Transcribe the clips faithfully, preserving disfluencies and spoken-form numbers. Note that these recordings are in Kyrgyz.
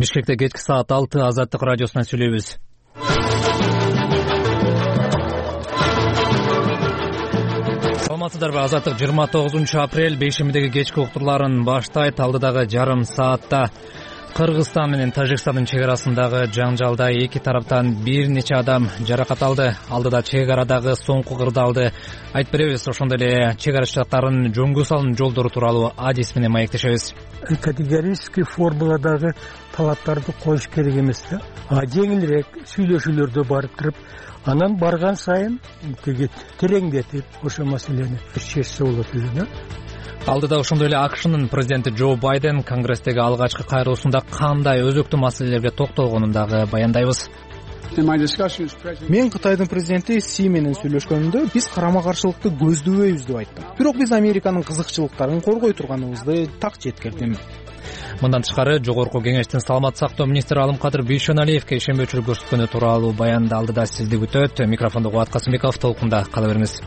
Бишкекте кечки саат алты Азаттык радиосунан сүйлөйбүз. Саламатсыздарбы? Азаттык жыйырма тогузунчу апрель бейшембидеги кечки уктурларын баштайт. Алдыдагы жарым саатта Кыргызстан менен Тажикстандын чек арасындагы жаңжалда эки тараптан бир нече адам жаракат алды. Алдыда чек арадагы соңку кырдаалды айтып беребиз. Ошондой эле чек арачылыктардын жөнгө салым жолдору тууралуу адис менен маектешебиз. Категорический формуладагы талаптарды коюш керек эмес да. А жеңилирээк сүйлөшүүлөрдө барып туруп, анан барган сайын теге тереңдетип ошо маселени чечсе болот эле да. Алдыда ошондой эле АКШнын президенти Джо Байден Конгресстеги алгачкы кайрылуусунда кандай өзөктүү маселелерге токтолгонун дагы баяндайбыз. Мен Кытайдын президенти Си менен сүйлөшкөнүмдө биз карама-каршылыкты көздөбөйбүз деп айттым. Бирок биз Американын кызыкчылыктарын коргой турганыбызды так жеткирдим. Мындан тышкары Жогорку Кеңештин саламаттык сактоо министри Алымкадыр Бейшеналиевге ишенбөөчүлүк көрсөткөнү тууралуу баянды алдыда сизди күтөт. Микрофондо Кубат Касымбеков, толкунда кала бериңиз.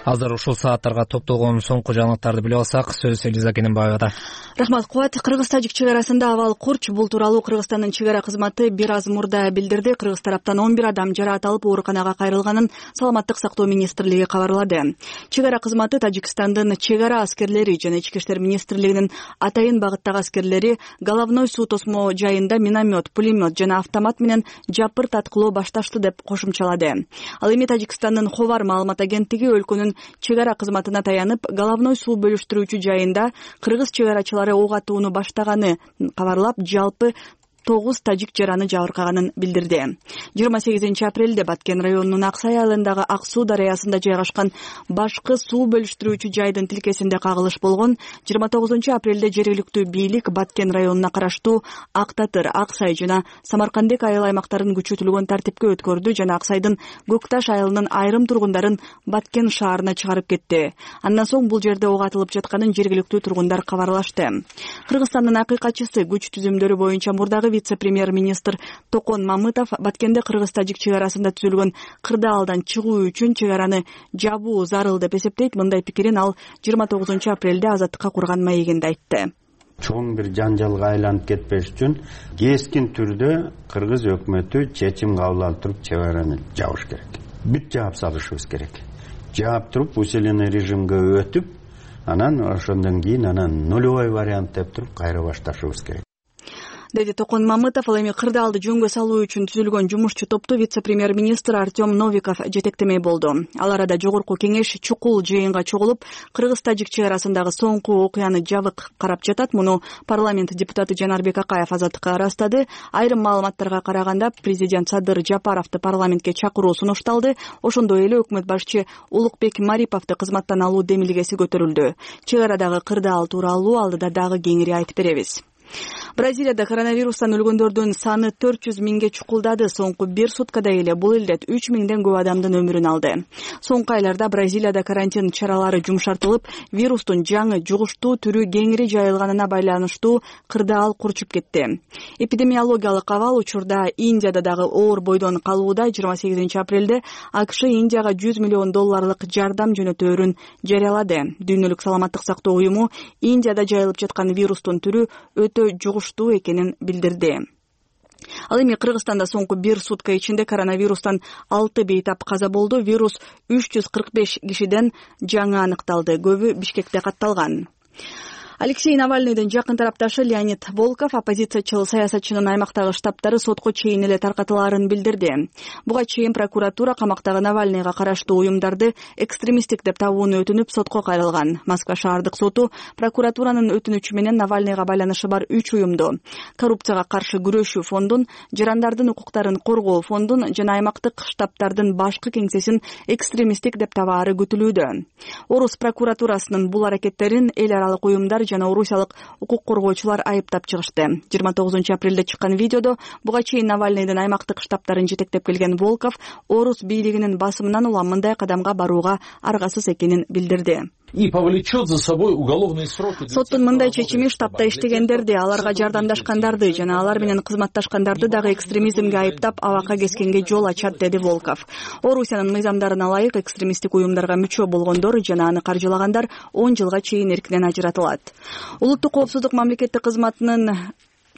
Азыр ушул сааттарга топтолгон соңку жаңылыктарды билип алсак, сөз Элиза Кененбаевада. Рахмат, Кубат. Кыргыз-Тажик чек арасында абал курч. Бул тууралуу Кыргызстандын чек ара кызматы бир аз мурда билдирди. Кыргыз тараптан он бир адам жараат алып ооруканага кайрылганын саламаттык сактоо министрлиги кабарлады. Чек ара кызматы Тажикстандын чек ара аскерлери жана Ички иштер министрлигинин атайын багыттагы аскерлери головной суу тосмо жайында миномет, пулемет жана автомат менен жапырт аткылоо башташты деп кошумчалады. Ал эми Тажикстандын Ховар маалымат агенттиги өлкөнүн чек ара кызматына таянып, головной суу бөлүштүрүүчү жайында кыргыз чек арачылары ок атууну баштаганы кабарлап, жалпы тогуз тажик жараны жабыркаганын билдирди. жыйырма сегизинчи апрелде Баткен районунун Аксай айылындагы Ак суу дарыясында жайгашкан башкы суу бөлүштүрүүчү жайдын тилкесинде кагылыш болгон. жыйырма тогузунчу апрелде жергиликтүү бийлик Баткен районуна караштуу Ак Татыр, Аксай жана Самаркандек айыл аймактарын күчөтүлгөн тартипке өткөрдү жана Аксайдын Көкташ айылынын айрым тургундарын Баткен шаарына чыгарып кетти. Андан соң бул жерде ок атылып жатканын жергиликтүү тургундар кабарлашты. Кыргызстандын акыйкатчысы күч түзүмдөрү боюнча мурдагы вице-премьер-министр Токон Мамытов Баткенде Кыргыз-Тажик чек арасында түзүлгөн кырдаалдан чыгуу үчүн чек араны жабуу зарыл деп эсептейт. Мындай пикирин ал жыйырма тогузунчу апрелде Азаттыкка курган маегинде айтты. Чоң бир жанжалга айланып кетпеш үчүн кескин түрдө кыргыз өкмөтү чечим кабыл алып туруп чек араны жабыш керек. Бүт жаап салышыбыз керек. Жаап туруп усиленный режимге өтүп, анан ошондон кийин анан нулевой вариант деп туруп кайра башташыбыз керек. Деди Токон Мамытов. Ал эми кырдаалды жөнгө салуу үчүн түзүлгөн жумушчу топту вице-премьер-министр Артем Новиков жетектемей болду. Ал арада Жогорку Кеңеш чукул жыйынга чогулуп, Кыргыз-Тажик чек арасындагы соңку окуяны жабык карап жатат. Муну парламент депутаты Жанарбек Акаев Азаттыкка ырастады. Айрым маалыматтарга караганда, президент Садыр Жапаровду парламентке чакыруу сунушталды. Ошондой эле өкмөт башчы Улукбек Мариповду кызматтан алуу демилгеси көтөрүлдү. Чек арадагы кырдаал тууралуу алдыда дагы кеңири айтып беребиз. Бразилияда коронавирустан өлгөндөрдүн саны төрт жүз миңге чукулдады. Соңку бир суткада эле бул илдет үч миңден көп адамдын өмүрүн алды. Соңку айларда Бразилияда карантин чаралары жумшартылып, вирустун жаңы жугуштуу түрү кеңири жайылганына байланыштуу кырдаал курчуп кетти. Эпидемиологиялык абал учурда Индияда дагы оор бойдон калууда. жыйырма сегизинчи апрелде АКШ Индияга жүз миллион долларлык жардам жөнөтөөрүн жарыялады. Дүйнөлүк саламаттык сактоо уюму Индияда жайылып жаткан вирустун түрү өтө жугуштуу экенин билдирди. Ал эми Кыргызстанда соңку бир сутка ичинде коронавирустан алты бейтап каза болду. Вирус үч жүз кырк беш кишиден жаңы аныкталды. Көбү Бишкекте катталган. Алексей Навальныйдын жакын тарапташы Леонид Волков оппозициячыл саясатчынын аймактагы штабтары сотко чейин эле таркатылаарын билдирди. Буга чейин прокуратура камактагы Навальныйга караштуу уюмдарды экстремисттик деп табууну өтүнүп сотко кайрылган. Москва шаардык соту прокуратуранын өтүнүчү менен Навальныйга байланышы бар үч уюмду, коррупцияга каршы күрөшүү фондун, жарандардын укуктарын коргоо фондун жана аймактык штабтардын башкы кеңсесин экстремисттик деп табаары күтүлүүдө. Орус прокуратурасынын бул аракеттерин эл аралык уюмдар жана орусиялык укук коргоочулар айыптап чыгышты. жыйырма тогузунчу апрелде чыккан видеодо буга чейин Навальныйдын аймактык штабтарын жетектеп келген Волков орус бийлигинин басымынан улам мындай кадамга барууга аргасыз экенин билдирди. и повлечет за собой уголовные сроки. Соттун мындай чечими штабда иштегендерди, аларга жардамдашкандарды жана алар менен кызматташкандарды дагы экстремизмге айыптап абакка кескенге жол ачат, деди Волков. Орусиянын мыйзамдарына ылайык экстремисттик уюмдарга мүчө болгондор жана аны каржылагандар он жылга чейин эркинен ажыратылат. Улуттук коопсуздук мамлекеттик кызматынын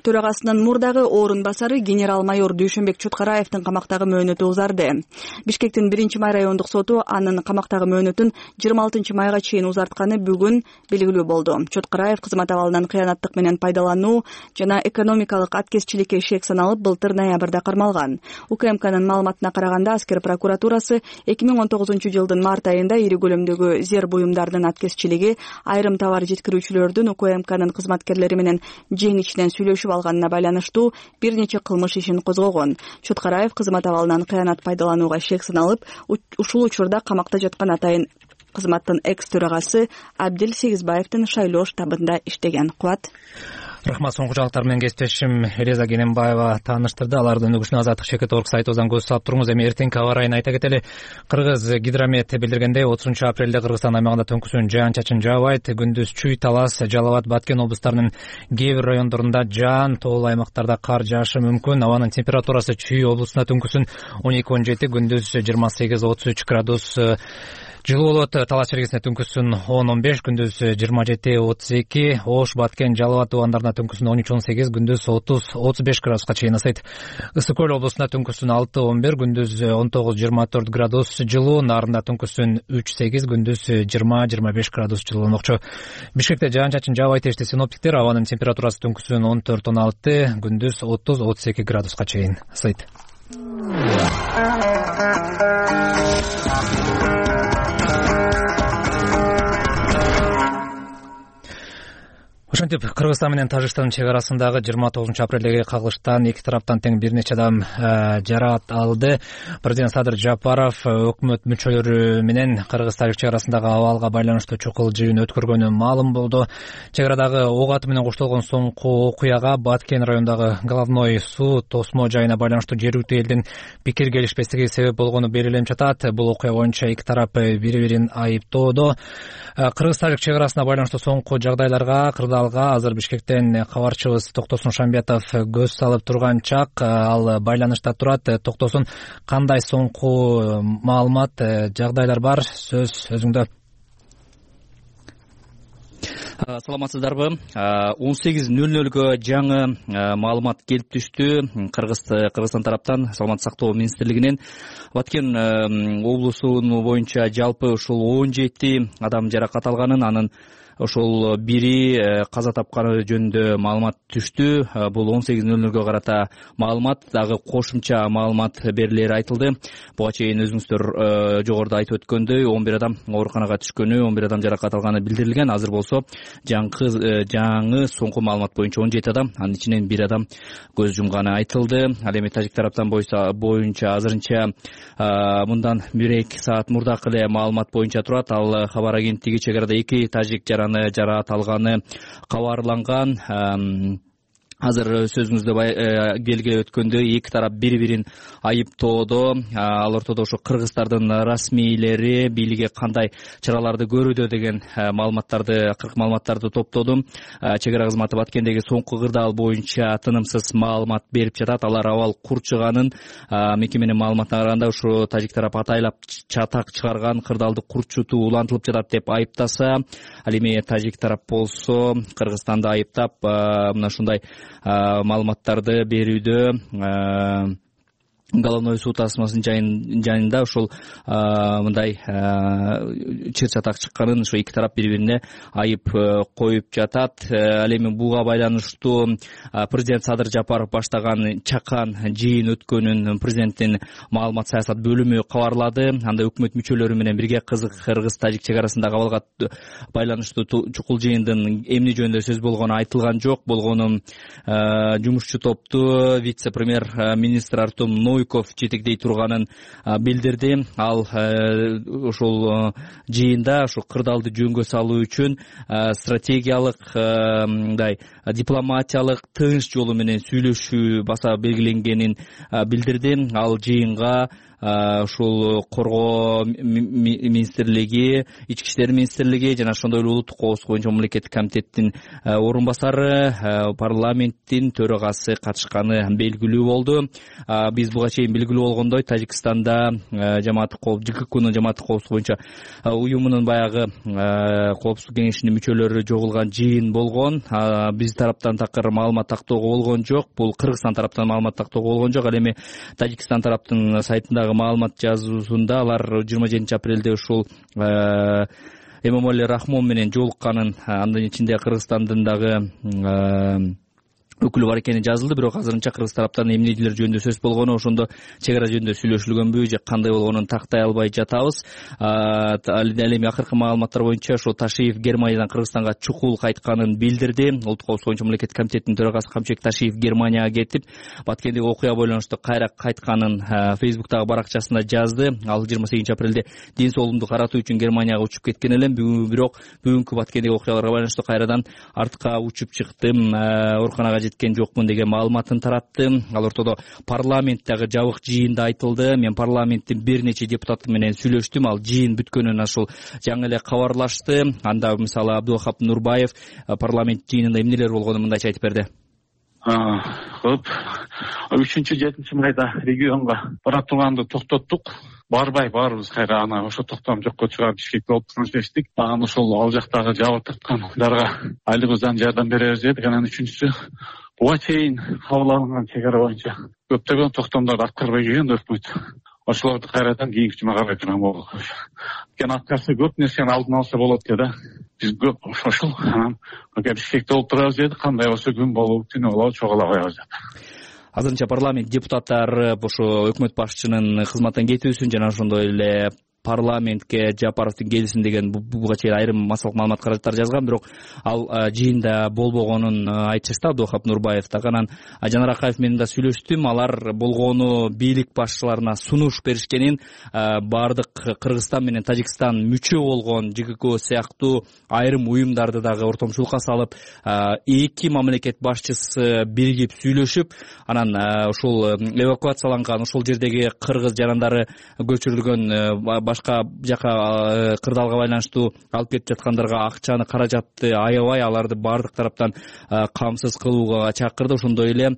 төрагасынын мурдагы орун басары генерал-майор Дүйшөнбек Чоткараевдин камактагы мөөнөтү узарды. Бишкектин биринчи май райондук соту анын камактагы мөөнөтүн жыйырма алтынчы майга чейин узартканы бүгүн белгилүү болду. Чоткараев кызмат абалынан кыянаттык менен пайдалануу жана экономикалык аткезчиликке шек саналып былтыр ноябрда кармалган. УКМКнын маалыматына караганда аскер прокуратурасы эки миң он тогузунчу жылдын март айында ири көлөмдөгү зер буюмдардын аткезчилиги, айрым товар жеткирүүчүлөрдүн УКМКнын кызматкерлери менен жең ичинен сүйлөшүп алганына байланыштуу бир нече кылмыш ишин козгогон. Чоткараев кызмат абалынан кыянат пайдаланууга шек саналып, ушул учурда камакта жаткан атайын кызматтын экс төрагасы Абдил Сегизбаевдин шайлоо штабында иштеген. Кубат. Рахмат. Соңку жаңылыктар менен кесиптешим Элиза Кененбаева тааныштырды. Алардын өнүгүшүнө Азаттык Шекет Орг сайтыбыздан көз салып туруңуз. Эми эртеңки аба ырайын айта кетели. Кыргыз гидромет билдиргендей, отузунчу апрелде Кыргызстан аймагында төңкүсүн жаан-чачын жаабайт. Күндүз Чүй, Талас, Жалал Абад, Баткен облустарынын кээ бир райондорунда жаан, тоолуу аймактарда кар жаашы мүмкүн. Абанын температурасы Чүй облусунда төңкүсүн он эки он жети, күндүз жыйырма сегиз отуз үч градус жылуу болот. Талас чергесине төңкүсүн он он беш, күндүз жыйырма жети отуз эки, Ош, Баткен, Жалал Абад тубандарына төңкүсүн он үч он сегиз, күндүз отуз отуз беш градуска чейин ысыйт. Ысык көл облусунда төңкүсүн алты он бир, күндүз он тогуз жыйырма төрт градус жылуу, Нарында төңкүсүн үч сегиз, күндүз жыйырма жыйырма беш градус жылууланмакчы. Бишкекте жаан-чачын жаабайт дешти синоптиктер. Абанын температурасы төңкүсүн он төрт он алты, күндүз отуз отуз эки градуска чейин ысыйт. Ошентип, Кыргызстан менен Тажикстандын чек арасындагы жыйырма тогузунчу апрелдеги кагылыштан эки тараптан тең бир нече адам жаракат алды. Президент Садыр Жапаров өкмөт мүчөлөрү менен Кыргыз-Тажик чек арасындагы абалга байланыштуу чукул жыйын өткөргөнү маалым болду. Чек арадагы ок аты менен коштолгон соңку окуяга Баткен районундагы головной суу тосмо жайына байланыштуу жергиликтүү элдин пикир келишпестиги себеп болгону белгиленип жатат. Бул окуя боюнча эки тарап бири-бирин айыптоодо. Кыргыз-Тажик чек арасына байланыштуу соңку жагдайларга азыр Бишкектен кабарчыбыз Токтосун Шамбетов көз салып турган чак. Ал байланышта турат. Токтосун, кандай соңку маалымат, жагдайлар бар? Сөз өзүңдө. Саламатсыздарбы? он сегиз нөл нөлгө жаңы маалымат келип түштү Кыргызстан тараптан, Саламаттык сактоо министрлигинен. Баткен облусунун боюнча жалпы ушул он жети адам жаракат алганын, анын ошол бири каза тапканы жөнүндө маалымат түштү. Бул он сегиз нөл нөлгө карата маалымат, дагы кошумча маалымат берилери айтылды. Буга чейин өзүңүздөр жогоруда айтып өткөндөй он бир адам ооруканага түшкөнү, он бир адам жаракат алганы билдирилген. Азыр болсо жаңы жаңы соңку маалымат боюнча он жети адам, анын ичинен бир адам көз жумганы айтылды. Ал эми Тажик тараптан боюнча азырынча мындан бир эки саат мурдакы эле маалымат боюнча турат. Ал кабар агенттиги чек арада эки тажик жараны жараат алганы кабарланган. Азыр сөзүңүздө белгилеп өткөндөй эки тарап бири-бирин айыптоодо. Ал ортодо ошо кыргыздардын расмийлери бийлиги кандай чараларды көрүүдө деген маалыматтарды, кырк маалыматтарды топтодум. Чек ара кызматы Баткендеги соңку кырдаал боюнча тынымсыз маалымат берип жатат. Алар абал курчуганын, мекеменин маалыматына караганда ушу тажик тарап атайлап чатак чыгарган, кырдаалды курчутуу улантылып жатат деп айыптаса, ал эми тажик тарап болсо Кыргызстанды айыптап мына ушундай маалыматтарды берүүдө головной суу тасмасынын жанында ушул мындай чыр чатак чыкканын ошо эки тарап бири-бирине айып коюп жатат. Ал эми буга байланыштуу президент Садыр Жапаров баштаган чакан жыйын өткөнүн президенттин маалымат саясат бөлүмү кабарлады. Анда өкмөт мүчөлөрү менен бирге Кыргыз-Тажик чек арасындагы абалга байланыштуу чукул жыйындын эмне жөнүндө сөз болгону айтылган жок. Болгону жумушчу топту вице-премьер министр Артем Нойков жетектей турганын билдирди. Ал ошол жыйында ошо кырдаалды жөнгө салуу үчүн стратегиялык, мындай дипломатиялык тынч жолу менен сүйлөшүү баса белгиленгенин билдирди. Ал жыйынга ушул коргоо министрлиги, ички иштер министрлиги жана ошондой эле улуттук коопсуздук боюнча мамлекеттик комитеттин орун басары, парламенттин төрагасы катышканы белгилүү болду. Биз буга чейин белгилүү болгондой Тажикстанда жамааттык коопсуздук ЖККнун жамааттык коопсуздук боюнча уюмунун баягы коопсуздук кеңешинин мүчөлөрү жогулган жыйын болгон. Биз тараптан такыр маалымат тактоого болгон жок. Бул Кыргызстан тараптан маалымат тактоого болгон жок. Ал эми Тажикстан тараптын сайтындагы маалымат жазуусунда алар жыйырма жетинчи апрелде ушул Эмомали Рахмон менен жолукканын, анын ичинде Кыргызстандын дагы өкүлү бар экени жазылды. Бирок азырынча Кыргыз тараптан эмнелер жөнүндө сөз болгону, ошондо чек ара жөнүндө сүйлөшүлгөнбү же кандай болгонун тактай албай жатабыз. Ал эми акыркы маалыматтар боюнча ошо Ташиев Германиядан Кыргызстанга чукул кайтканын билдирди. Улуттук коопсуздук боюнча мамлекеттик комитеттин төрагасы Камчек Ташиев Германияга кетип, Баткендеги окуяга байланыштуу кайра кайтканын Фейсбуктагы баракчасында жазды. Ал жыйырма сегизинчи апрелде ден соолугумду каратуу үчүн Германияга учуп кеткен элем. Бирок бүгүнкү Баткендеги окуяларга байланыштуу кайрадан артка учуп чыктым, ооруканага жеткен жокмун деген маалыматын таратты. Ал ортодо парламенттеги жабык жыйында айтылды. Мен парламенттин бир нече депутаты менен сүйлөштүм. Ал жыйын бүткөнүн ушул жаңы эле кабарлашты. Анда мисалы Абдулвахап Нурбаев парламент жыйынында эмнелер болгонун мындайча айтып берди. Көп үчүнчү жетинчи майда регионго бара турганды токтоттук. Барбай баарыбыз кайра ана ошо токтом жокко чыгарып Бишкекке алып чечтик. Анан ошол ал жактагы жабык тарткандарга айлыгыбыздан жардам беребиз дедик. Анан үчүнчүсү буга чейин кабыл алынган чек ара боюнча көптөгөн токтомдорду аткарбай келген өкмөт. Ошолорду кайрадан кийинки жума карай турган болдук. Кен аткарса көп нерсени алдын алса болот да. Биз көп ошол анан Бишкекте олтурабыз дедик. Кандай болсо күн болобу, түнү болобу чогула коебуз деп. Азырынча парламент депутаттары ошо өкмөт башчынын кызматтан кетүүсүн жана ошондой эле парламентке Жапаровдун келсин деген буга чейин айрым массалык маалымат каражаттар жазган, бирок ал жыйында болбогонун айтышты. Абдулвахап Нурбаев дагы. Анан Жанар Акаев менен да сүйлөштүм. Алар болгону бийлик башчыларына сунуш беришкенин, баардык Кыргызстан менен Тажикстан мүчө болгон ЖКК сыяктуу айрым уюмдарды дагы ортомчулукка салып, эки мамлекет башчысы биригип сүйлөшүп, анан ушул эвакуацияланган ошол жердеги кыргыз жарандары көчүрүлгөн башка жака кырдаалга байланыштуу алып кетип жаткандарга акчаны, каражатты аябай аларды баардык тараптан камсыз кылууга чакырды. Ошондой эле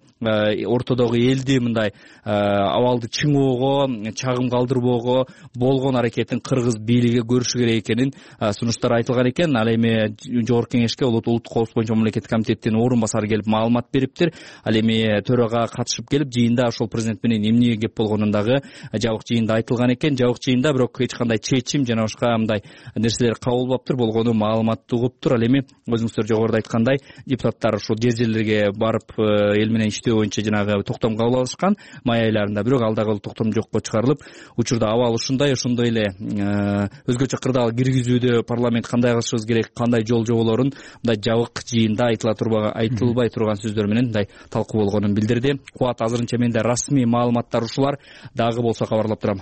ортодогу элди мындай абалды чыңоого, чагым калтырбоого болгон аракетин кыргыз бийлиги көрүшү керек экенин сунуштар айтылган экен. Ал эми жогорку кеңешке улуттук коопсуздук боюнча мамлекеттик комитеттин орун басары келип маалымат бериптир. Ал эми төрага катышып келип жыйында ошол президент менен эмне кеп болгонун дагы жабык жыйында айтылган экен. Жабык жыйында бирок эч кандай чечим жана башка мындай нерселер кабыл болуптур, болгону маалыматты угуптур. Ал эми өзүңүздөр жогоруда айткандай депутаттар ушул жер жерлерге барып эл менен иштөө боюнча жанагы токтом кабыл алышкан май айларында, бирок ал дагы токтом жокко чыгарылып, учурда абал ушундай. Ошондой эле өзгөчө кырдаал киргизүүдө парламент кандай кылышыбыз керек, кандай жол жоболорун мындай жабык жыйында айтыла турбаган, айтылбай турган сөздөр менен мындай талкуу болгонун билдирди. Кубат, азырынча менде расмий маалыматтар ушулар. Дагы болсо кабарлап турам.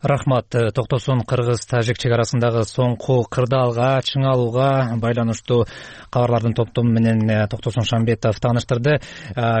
Рахмат. Токтосун Кыргыз-Тажик чек арасындагы соңку кырдаалга чыңалууга байланыштуу кабарлардын топтому менен Токтосун Шамбетов тааныштырды.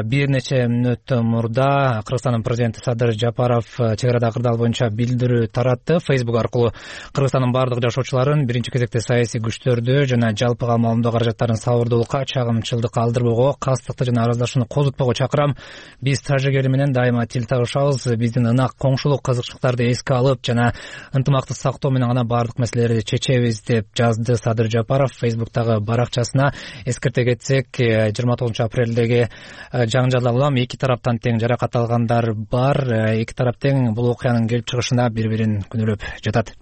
Бир нече мүнөт мурда Кыргызстандын президенти Садыр Жапаров чек арадагы кырдаал боюнча билдирүү таратты. Facebook аркылуу Кыргызстандын бардык жашоочуларын биринчи кезекте саясий күчтөрдү жана жалпыга маалымдоо каражаттарын сабырдуулукка, чагымчылдыкка алдырбоого, кастыкты жана араздашууну козутпоого чакырам. Биз тажик эли менен дайыма тил табышабыз. Биздин ынак коңшулук кызыкчылыктарды эске алып жана ынтымакты сактоо менен гана баардык маселелерди чечебиз деп жазды Садыр Жапаров Фейсбуктагы баракчасына. Эскерте кетсек, жыйырма тогузунчу апрелдеги жаңжалдан улам эки тараптан тең жаракат алгандар бар. Эки тарап тең бул окуянын келип чыгышына бири-бирин күнөөлөп жатат.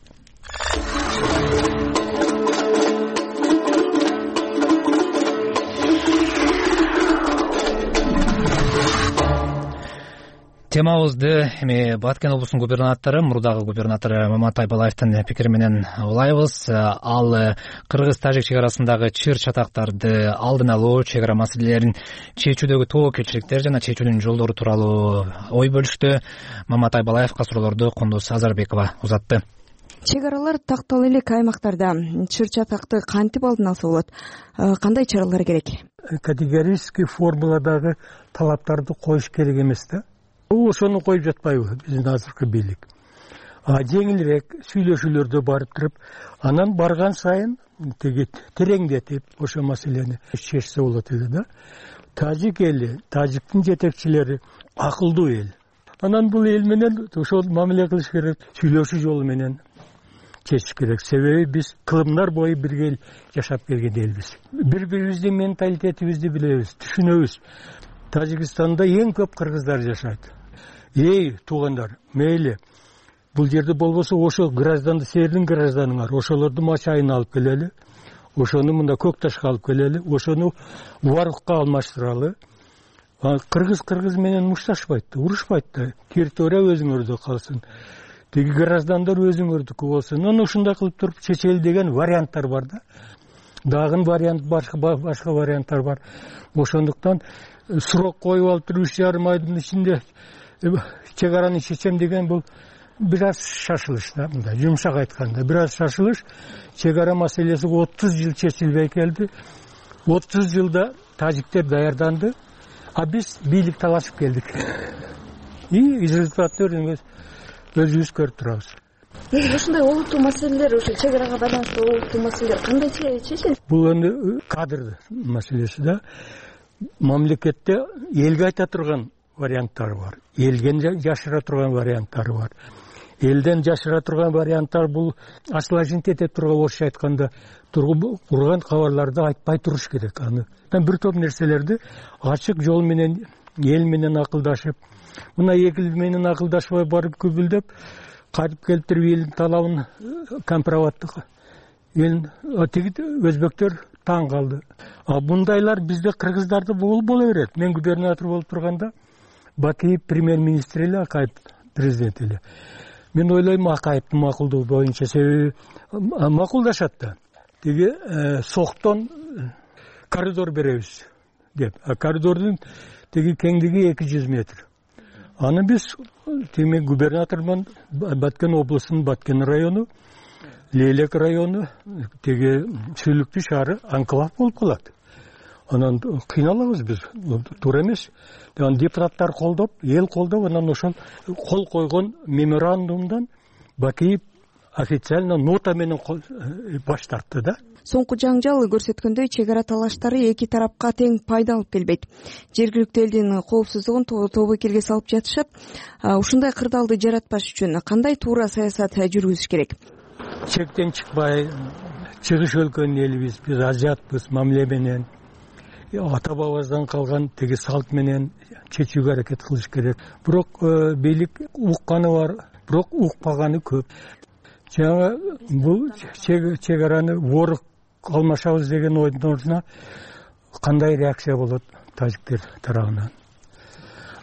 Темабызды эми Баткен облусунун губернатору, мурдагы губернатору Маматай Балаевдин пикири менен улайбыз. Ал Кыргыз-Тажик чек арасындагы чыр чатактарды алдын алуу, чек ара маселелерин чечүүдөгү тобокелчиликтер жана чечүүнүн жолдору тууралуу ой бөлүштү. Маматай Балаевга суроолорду Кундуз Азарбекова узатты. Чек аралар такталуу элек аймактарда чыр чатакты кантип алдын алса болот? Кандай чаралар керек? Категорический формуладагы талаптарды коюш керек эмес да. Бул ошону коюп жатпайбы биздин азыркы бийлик? жеңилирээк сүйлөшүүлөрдө барып туруп, анан барган сайын тиги тереңдетип ошо маселени чечсе болот эле да. Тажик эли, тажиктин жетекчилери акылдуу эл. Анан бул эл менен ошол мамиле кылыш керек, сүйлөшүү жолу менен чечиш керек. Себеби биз кылымдар бою бирге жашап келген элбиз. Бири-бирибиздин менталитетибизди билебиз, түшүнөбүз. Тажикстанда эң көп кыргыздар жашайт. Эй, туугандар, мейли бул жерде болбосо ошо гражданды, силердин гражданыңар, ошолорду Мачайына алып келели, ошону мында Көк Ташка алып келели, ошону Варукка алмаштыралы. Кыргыз кыргыз менен мушташпайт да, урушпайт да. Территория өзүңөрдө калсын. Тиги граждандар өзүңөрдүкү болсун. Анан ушундай кылып туруп чечели деген варианттар бар да. Дагы вариант башка башка варианттар бар. Ошондуктан сурок коюп алып туруп үч жарым айдын ичинде чек араны чечем деген бул бир аз шашылыш да, мындай жумшак айтканда бир аз шашылыш. Чек ара маселеси отуз жыл чечилбей келди. отуз жылда тажиктер даярданды, а биз бийлик талашып келдик. И результатты өзүбүз өзүбүз көрүп турабыз. Негизи ушундай олуттуу маселелер, ошо чек арага байланыштуу олуттуу маселелер кандай чечилет? Бул эми кадр маселеси да. Мамлекетте элге айта турган варианттар бар. Элден жашыра турган варианттар бар. Элден жашыра турган варианттар бул ачылажинт эте турган, орусча айтканда турган кабарларды айтпай туруш керек. Аны бир топ нерселерди ачык жол менен эл менен акылдашып, мына эки эл менен акылдашпай барып күбүлдөп, кайтып келип элдин талабын компроматтык эл тиги өзбектөр таң калды. А бундайлар бизде кыргыздарда боло берет. Мен губернатор болуп турганда Бакиев премьер-министр эле, Акаев президент эле. Мен ойлойм Акаевдин макулдугу боюнча, себеби макулдашат да. Тиги соктон коридор беребиз деп. А коридордун тиги кеңдиги эки жүз метр. Аны биз теме губернатормун, Баткен облусунун Баткен району, Лейлек району, теги Сүйлүктүү шаары анклав болуп калат. Анан кыйналабыз биз, туура эмес. Анан депутаттар колдоп, эл колдоп, анан ошол кол койгон меморандумдан Бакиев официально нота менен баш тартты да. Соңку жаңжал көрсөткөндөй, чек ара талаштары эки тарапка тең пайда алып келбейт. Жергиликтүү элдин коопсуздугун тобокелге салып жатышат. Ушундай кырдаалды жаратпаш үчүн кандай туура саясат жүргүзүш керек? Чектен чыкпай, чыгыш өлкөнүн элибиз, биз азиатпыз, мамиле менен ата бабабыздан калган теги салт менен чечүүгө аракет кылыш керек. Бирок бийлик укканы бар, бирок укпаганы көп. Жаңа бул чек араны ворuk алмашабыз деген ойдун ордуна кандай реакция болот тажиктер тарабынан?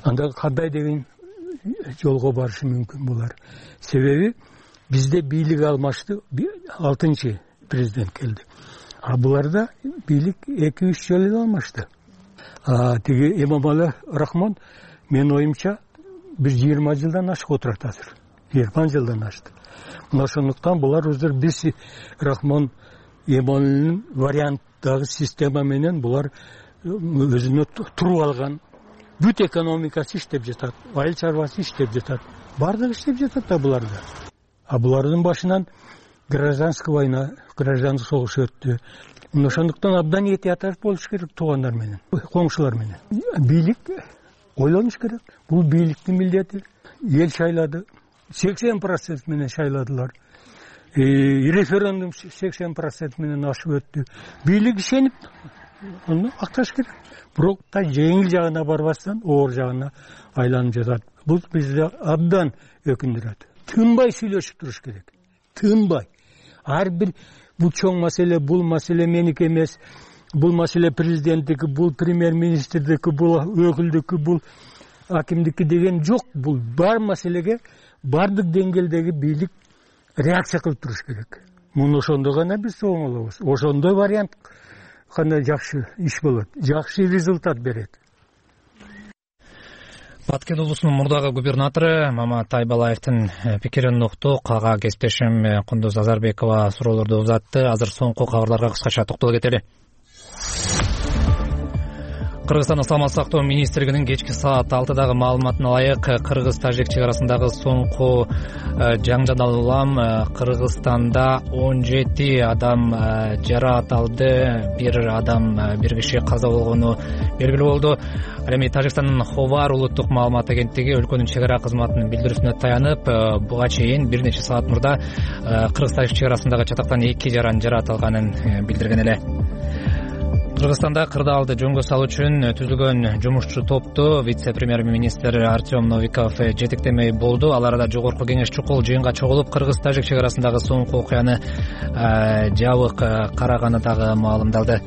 Анда кандай деген жолго барышы мүмкүн булар? Себеби бизде бийлик алмашты, алтынчы президент келди. А буларда бийлик эки үч жолу эле алмашты. А тиги Эмомали Рахмон мен оюмча бир жыйырма жылдан ашык отурат азыр. жыйырма жылдан ашты. Ошондуктан булар өздөр биз Рахмон Эмомалинин варианттагы система менен булар өзүнө туруп алган. Бүт экономикасы иштеп жатат, айыл чарбасы иштеп жатат. Бардыгы иштеп жатат да буларда. А булардын башынан гражданский война, гражданский согуш өттү. Ошондуктан абдан этият болуш керек туугандар менен, коңшулар менен. Бийлик ойлонуш керек. Бул бийликтин милдети. Эл шайлады. сексен процент менен шайладылар. Референдум сексен процент менен ашып өттү. Бийлик ишенип, аны акташ керек. Бирок та жеңил жагына барбастан, оор жагына айланып жатат. Бул бизди абдан өкүндүрөт. Тынбай сүйлөшүп туруш керек. Тынбай. Ар бир бул чоң маселе, бул маселе меники эмес, бул маселе президенттики, бул премьер-министрдики, бул өкүлдүкү, бул акимдики деген жок. Бул бар маселеге бардык деңгээлдеги бийлик реакция кылып туруш керек. Муну ошондо гана биз оңолобуз. Ошондой вариант гана жакшы иш болот, жакшы результат берет. Баткен облусунун мурдагы губернатору Мамат Айбалаевдин пикирин уктук. Ага кесиптешим Кундуз Азарбекова суроолорду узатты. Азыр соңку кабарларга кыскача токтоло кетели. Кыргызстандын саламаттык сактоо министрлигинин кечки саат алтыдагы маалыматына ылайык, кыргыз-тажик чек арасындагы соңку жаңжал улам Кыргызстанда он жети адам жаракат алды, бир адам, бир киши каза болгону белгилүү болду. Ал эми Тажикстандын Ховар улуттук маалымат агенттиги өлкөнүн чек ара кызматынын билдирүүсүнө таянып, буга чейин бир нече саат мурда Кыргыз-Тажик чек арасындагы чатактан эки жаран жаракат алганын билдирген эле. Кыргызстанда кырдаалды жөнгө салуу үчүн түзүлгөн жумушчу топту вице-премьер-министр Артем Новиков жетектемей болду. Ал арада жогорку кеңеш чукул жыйынга чогулуп, Кыргыз-Тажик чек арасындагы соңку окуяны жабык караганы дагы маалымдалды.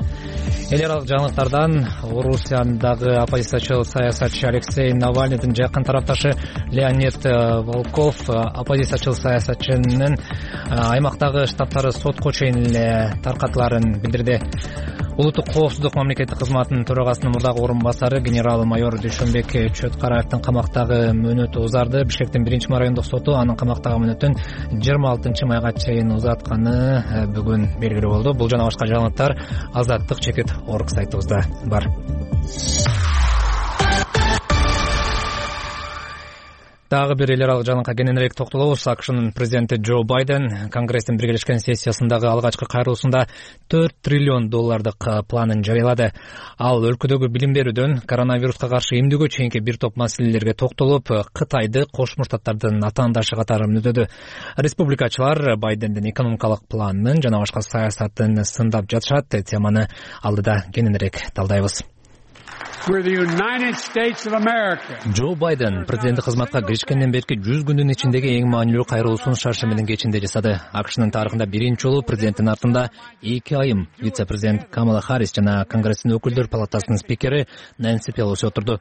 Эл аралык жаңылыктардан Орусиядагы оппозициячыл саясатчы Алексей Навальныйдын жакын тарапташы Леонид Волков оппозициячыл саясатчынын аймактагы штабтары сотко чейин эле таркатыларын билдирди. Улуттук коопсуздук мамлекеттик кызматынын төрагасынын мурдагы орун басары генерал-майор Дүйшөнбек Чөткараевдин камактагы мөөнөтү узарды. Бишкектин биринчи райондук соту анын камактагы мөөнөтүн жыйырма алтынчы майга чейин узатканы бүгүн белгилүү болду. Бул жана башка жаңылыктар Азаттык чекит орг сайтыбызда бар. Дагы бир эл аралык жаңылыкка кененирээк токтолобуз. АКШнын президенти Джо Байден Конгресстин биргелешкен сессиясындагы алгачкы кайрылуусунда төрт триллион доллардык планын жарыялады. Ал өлкөдөгү билим берүүдөн коронавируска каршы эмдөөгө чейинки бир топ маселелерге токтолуп, Кытайды Кошмо Штаттардын атаандашы катары мүнөдү. Республикачылар Байдендин экономикалык планын жана башка саясатын сындап жатышат. Теманы алдыда кененирээк талдайбыз. Джо Байден президенттик кызматка киришкенден берки жүз күндүн ичиндеги эң маанилүү кайрылуусун шаршы менен кечинде жасады. АКШнын тарыхында биринчи жолу президенттин артында эки айым вице-президент Камала Харрис жана Конгресстин өкүлдөр палатасынын спикери Нэнси Пелоси отурду.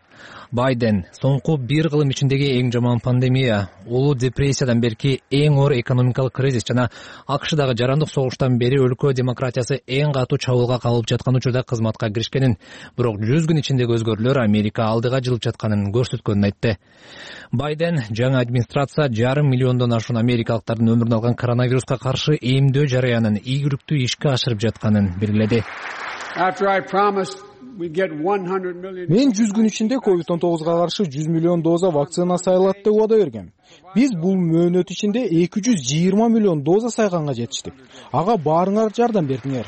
Байден соңку бир кылым ичиндеги эң жаман пандемия, улуу депрессиядан берки эң оор экономикалык кризис жана АКШдагы жарандык согуштан бери өлкө демократиясы эң катуу чабуулга кабылып жаткан учурда кызматка киришкенин, бирок жүз күн ичиндеги өзгөрүүлөр Америка алдыга жылып жатканын көрсөткөнүн айтты. Байден жаңы администрация жарым миллиондон ашуун америкалыктардын өмүрүн алган коронавируска каршы эмдөө жараянын ийгиликтүү ишке ашырып жатканын белгиледи. Мен жүз күн ичинде ковид он тогузга каршы жүз миллион доза вакцина сайылат деп убада бергем. Биз бул мөөнөт ичинде эки жүз жыйырма миллион доза сайганга жетиштик. Ага баарыңар жардам бердиңер.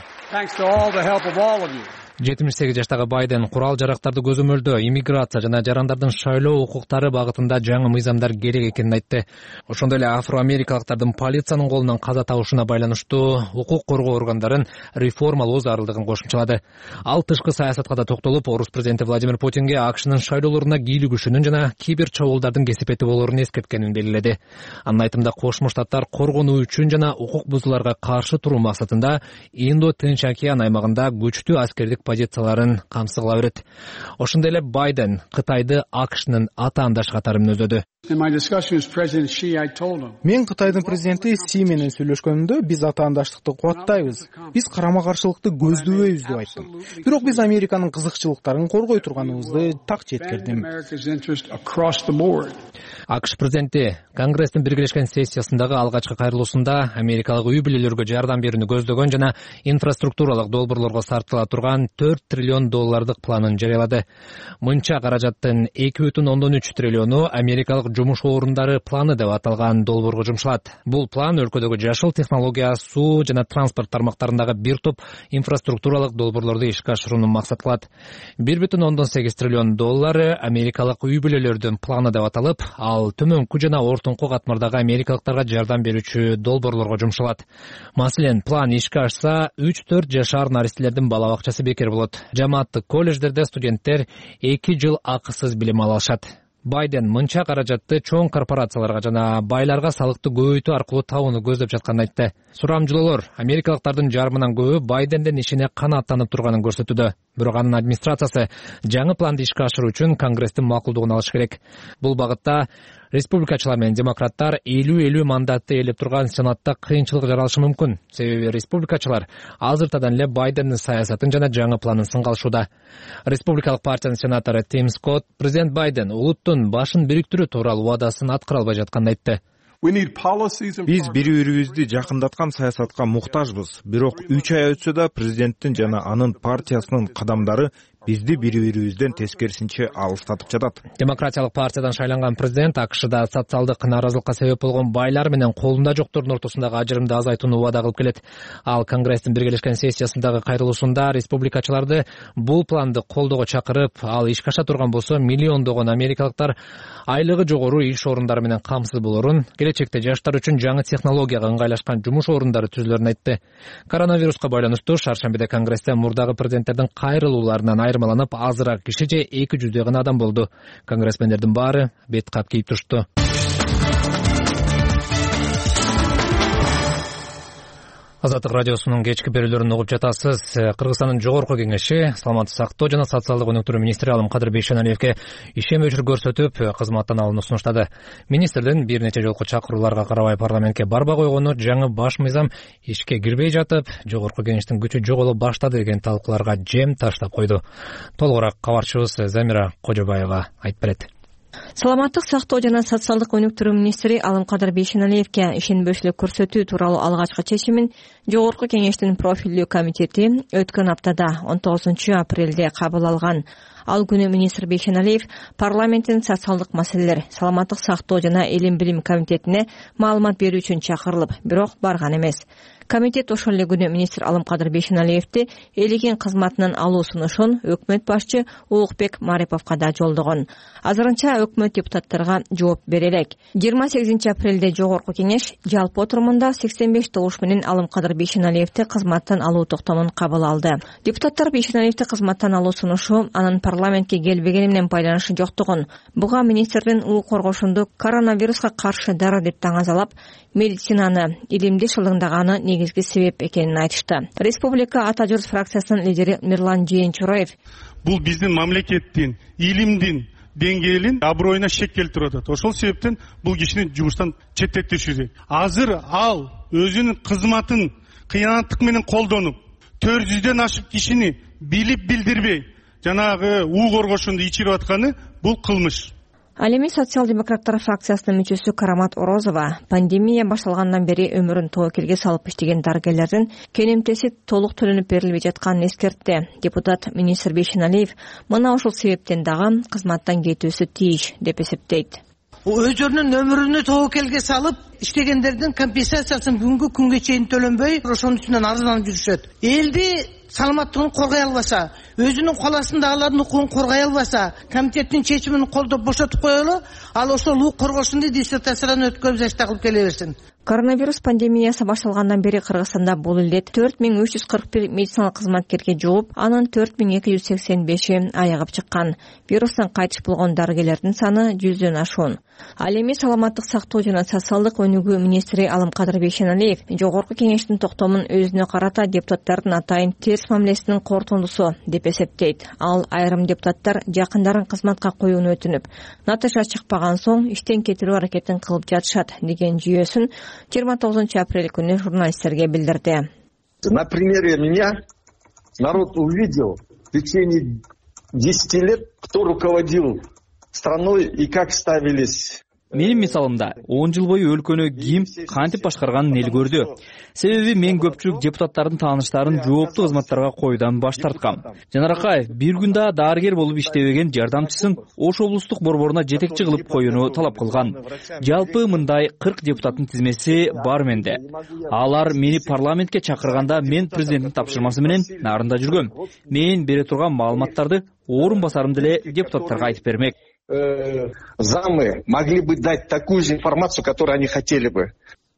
жетимиш сегиз жаштагы Байден курал жарактарды көзөмөлдөө, иммиграция жана жарандардын шайлоо укуктары багытында жаңы мыйзамдар керек экенин айтты. Ошондой эле афро-америкалыктардын полициянын колунан каза табышына байланыштуу укук коргоо органдарын реформалоо зарылдыгын кошумчалады. Ал тышкы саясатка да токтолуп, орус президенти Владимир Путинге АКШнын шайлоолоруна кийлигишүүнүн жана кибер чабуулдардын кесепети болоорун эскерткенин белгиледи. Анын айтымында Кошмо Штаттар коргонуу үчүн жана укук бузууларга каршы туруу максатында Индо-Тынч океан аймагында күчтүү аскердик позицияларын камсыз кыла берет. Ошондой эле Байден Кытайды АКШнын атаандаш катары мүнөздөдү. Мен Кытайдын президенти Си менен сүйлөшкөнүмдө биз атаандаштыкты кубаттайбыз. Биз карама-каршылыкты көздөбөйбүз деп айттым. Бирок биз Американын кызыкчылыктарын коргой турганыбызды так жеткирдим. АКШ президенти Конгресстин биргелешкен сессиясындагы алгачкы кайрылуусунда америкалык үй бүлөлөргө жардам берүүнү көздөгөн жана инфраструктуралык долбоорлорго сарптыла турган төрт триллион доллардык планын жарыялады. Мынча каражаттын эки бүтүн ондон үч триллиону америкалык жумуш орундары планы деп аталган долбоорго жумшалат. Бул план өлкөдөгү жашыл технология, суу жана транспорт тармактарындагы бир топ инфраструктуралык долбоорлорду ишке ашырууну максат кылат. бир бүтүн ондон сегиз триллион доллары америкалык үй бүлөлөрдүн планы деп аталып, ал төмөнкү жана ортоңку катмардагы америкалыктарга жардам берүүчү долбоорлорго жумшалат. Маселен, план ишке ашса, үч төрт жашар наристелердин бала бакчасы бекер болот. Жамааттык колледждерде студенттер эки жыл акысыз билим ала алышат. Байден мынча каражатты чоң корпорацияларга жана байларга салыкты көбөйтүү аркылуу табууну көздөп жатканын айтты. Сурамжылоолор америкалыктардын жарымынан көбү Байдендин ишине канааттанып турганын көрсөтүүдө. Бирок анын администрациясы жаңы планды ишке ашыруу үчүн Конгресстин макулдугун алыш керек. Бул багытта республикачылар менен демократтар элүү элүү мандатты ээлеп турган Сенатта кыйынчылык жаралышы мүмкүн. Себеби республикачылар азыртадан эле Байдендин саясатын жана жаңы планын сынга алышууда. Республикалык партиянын сенатору Тим Скотт президент Байден улуттун башын бириктирүү тууралуу убадасын аткара албай жатканын айтты. Биз бири-бирибизди жакындаткан саясатка муктажбыз. Бирок үч ай өтсө да президенттин жана анын партиясынын кадамдары бизди бири бирибизден тескерисинче алыстатып жатат. Демократиялык партиядан шайланган президент АКШда социалдык нааразылыкка себеп болгон байлар менен колунда жоктордун ортосундагы ажырымды азайтууну убада кылып келет. Ал Конгресстин биргелешкен сессиясындагы кайрылуусунда республикачыларды бул планды колдоого чакырып, ал ишке аша турган болсо миллиондогон америкалыктар айлыгы жогору иш орундары менен камсыз болорун, келечекте жаштар үчүн жаңы технологияга ыңгайлашкан жумуш орундары түзүлөрүн айтты. Коронавируска байланыштуу шаршембиде Конгрессте мурдагы президенттердин кайрылууларынан айырмаланып, азыраак киши же эки жүздөй гана адам болду. Конгрессмендердин баары бет кап кийип турушту. Азаттык радиосунун кечки берүүлөрүн угуп жатасыз. Кыргызстандын жогорку кеңеши саламаттык сактоо жана социалдык өнүктүрүү министри Алымкадыр Бейшеналиевге ишенбөөчүлүк көрсөтүп, кызматтан алууну сунуштады. Министрдин бир нече жолку чакырууларга карабай парламентке барбай койгону жаңы баш мыйзам ишке кирбей жатып, жогорку кеңештин күчү жоголо баштады деген талкууларга жем таштап койду. Толугураак кабарчыбыз Замира Кожобаева айтып берет. Саламаттык сактоо жана социалдык өнүктүрүү министри Алымкадыр Бейшеналиевге ишенбөөчүлүк көрсөтүү тууралуу алгачкы чечимин жогорку кеңештин профилдүү комитети өткөн аптада он тогузунчу апрелде кабыл алган. Ал күнү министр Бейшеналиев парламенттин социалдык маселелер, саламаттык сактоо жана илим билим комитетине маалымат берүү үчүн чакырылып, бирок барган эмес. Комитет ошол эле күнү министр Алымкадыр Бейшеналиевди элеген кызматынан алуу сунушун өкмөт башчы Улукбек Мариповго да жолдогон. Азырынча өкмөт депутаттарга жооп бере элек. жыйырма сегизинчи апрелде жогорку кеңеш жалпы отурумунда сексен беш добуш менен Алымкадыр Бейшеналиевди кызматтан алуу токтомун кабыл алды. Депутаттар Бейшеналиевди кызматтан алуу сунушу анын парламентке келбегени менен байланышы жоктугун, буга министрдин укук коргошунду коронавируска каршы дары деп таңазалап, медицинаны илимди шылдыңдаганы негизги себеп экенин айтышты. Республика Ата Журт фракциясынын лидери Мирлан Жээнчураев: бул биздин мамлекеттин илимдин деңгээлин аброюна шек келтирип атат. Ошол себептен бул кишини жумуштан четтетиши керек. Азыр ал өзүнүн кызматын кыянаттык менен колдонуп, төрт жүздөн ашык кишини билип билдирбей жанагы укук коргошунду ичирип атканы бул кылмыш. Ал эми социал-демократтар фракциясынын мүчөсү Карамат Орозова пандемия башталгандан бери өмүрүн тобокелге салып иштеген дарыгерлердин кенемтеси толук төлөнүп берилбей жатканын эскертти. Депутат министр Бейшеналиев мына ошол себептен дагы кызматтан кетүүсү тийиш деп эсептейт. Өздөрүнүн өмүрүнү тобокелге салып иштегендердин компенсациясын бүгүнкү күнгө чейин төлөнбөй, ошонун үстүнөн арызданып жүрүшөт. Элди саламаттыгын коргой албаса, өзүнүн каласында алардын укугун коргой албаса, комитеттин чечимин колдоп бошотуп коелу, ал ошол укук коргошунду диссертациядан өткөрүп жашта кылып келе берсин. Коронавирус пандемиясы башталгандан бери Кыргызстанда бул илдет төрт миң үч жүз кырк бир медициналык кызматкерге жугуп, анын төрт миң эки жүз сексен беши айыгып чыккан. Вирустан кайтыш болгон дарыгерлердин саны жүздөн ашуун. Ал эми саламаттык сактоо жана социалдык өнүгүү министри Алымкадыр Бейшеналиев жогорку кеңештин токтомун өзүнө карата депутаттардын атайын терс мамилесинин кортундусу деп эсептейт. Ал айрым депутаттар жакындарын кызматка коюуну өтүнүп, натыйжа чыкпаган соң иштен кетирүү аракетин кылып жатышат деген жүйөсүн жыйырма тогузунчу апрель күнү журналисттерге билдирди. На примере меня народ увидел в течение десяти лет, кто руководил страной и как ставились. Менин мисалымда он жыл бою өлкөнү ким кантип башкарганын эл көрдү. Себеби мен көпчүлүк депутаттардын тааныштарын жооптуу кызматтарга коюудан баш тарткам. Жанар Акаев бир күн да дарыгер болуп иштебеген жардамчысын Ош облустук борборуна жетекчи кылып коюуну талап кылган. Жалпы мындай кырк депутаттын тизмеси бар менде. Алар мени парламентке чакырганда мен президенттин тапшырмасы менен нарында жүргөм. Мен бере турган маалыматтарды орун басарым деле депутаттарга айтып бермек. Замы могли бы дать такую же информацию, которую они хотели бы.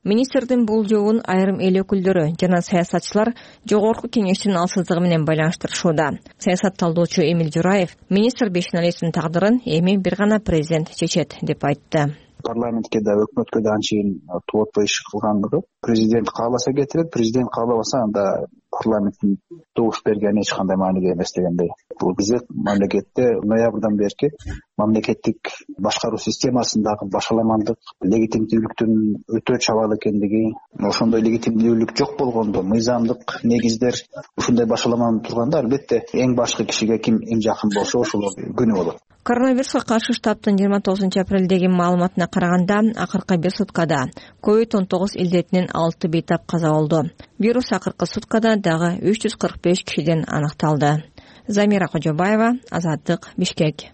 Министрдин бул жообун айрым эл өкүлдөрү жана саясатчылар жогорку кеңештин алсыздыгы менен байланыштырышууда. Саясат талдоочу Эмил Жураев министр Бейшеналиевдин тагдырын эми бир гана президент чечет деп айтты. Парламентке да өкмөткө да анчейин туботпой иш кылгандыгы президент кааласа кетирет, президент каалабаса анда парламенттин добуш бергени эч кандай мааниге эмес дегендей. Бул биздин мамлекетте ноябрдан берки мамлекеттик башкаруу системасындагы башаламандык, легитимдүүлүктүн өтө чабал экендиги, ошондой легитимдүүлүк жок болгондо мыйзамдык негиздер ушундай башаламанып турганда албетте эң башкы кишиге ким эң жакын болсо ошол күнөө болот. Коронавируска каршы штабтын жыйырма тогузунчу апрелдеги маалыматына караганда акыркы бир суткада ковид он тогуз илдетинен алты бейтап каза болду. Вирус акыркы суткада дагы үч жүз кырк беш кишиден аныкталды. Замира Кожобаева, Азаттык, Бишкек.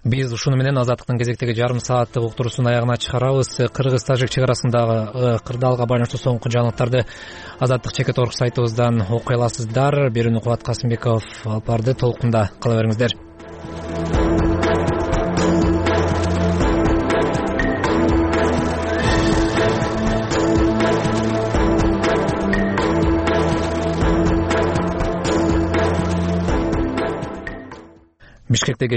Биз ушуну менен Азаттыктын кезектеги жарым сааттык уктуруусун аягына чыгарабыз. Кыргыз-тажик чек арасындагы кырдаалга байланыштуу соңку жаңылыктарды Азаттык чекит орг сайтыбыздан окуй аласыздар. Берүүнү Кубат Касымбеков алып барды. Толкунда кала бериңиздер. Бишкектеги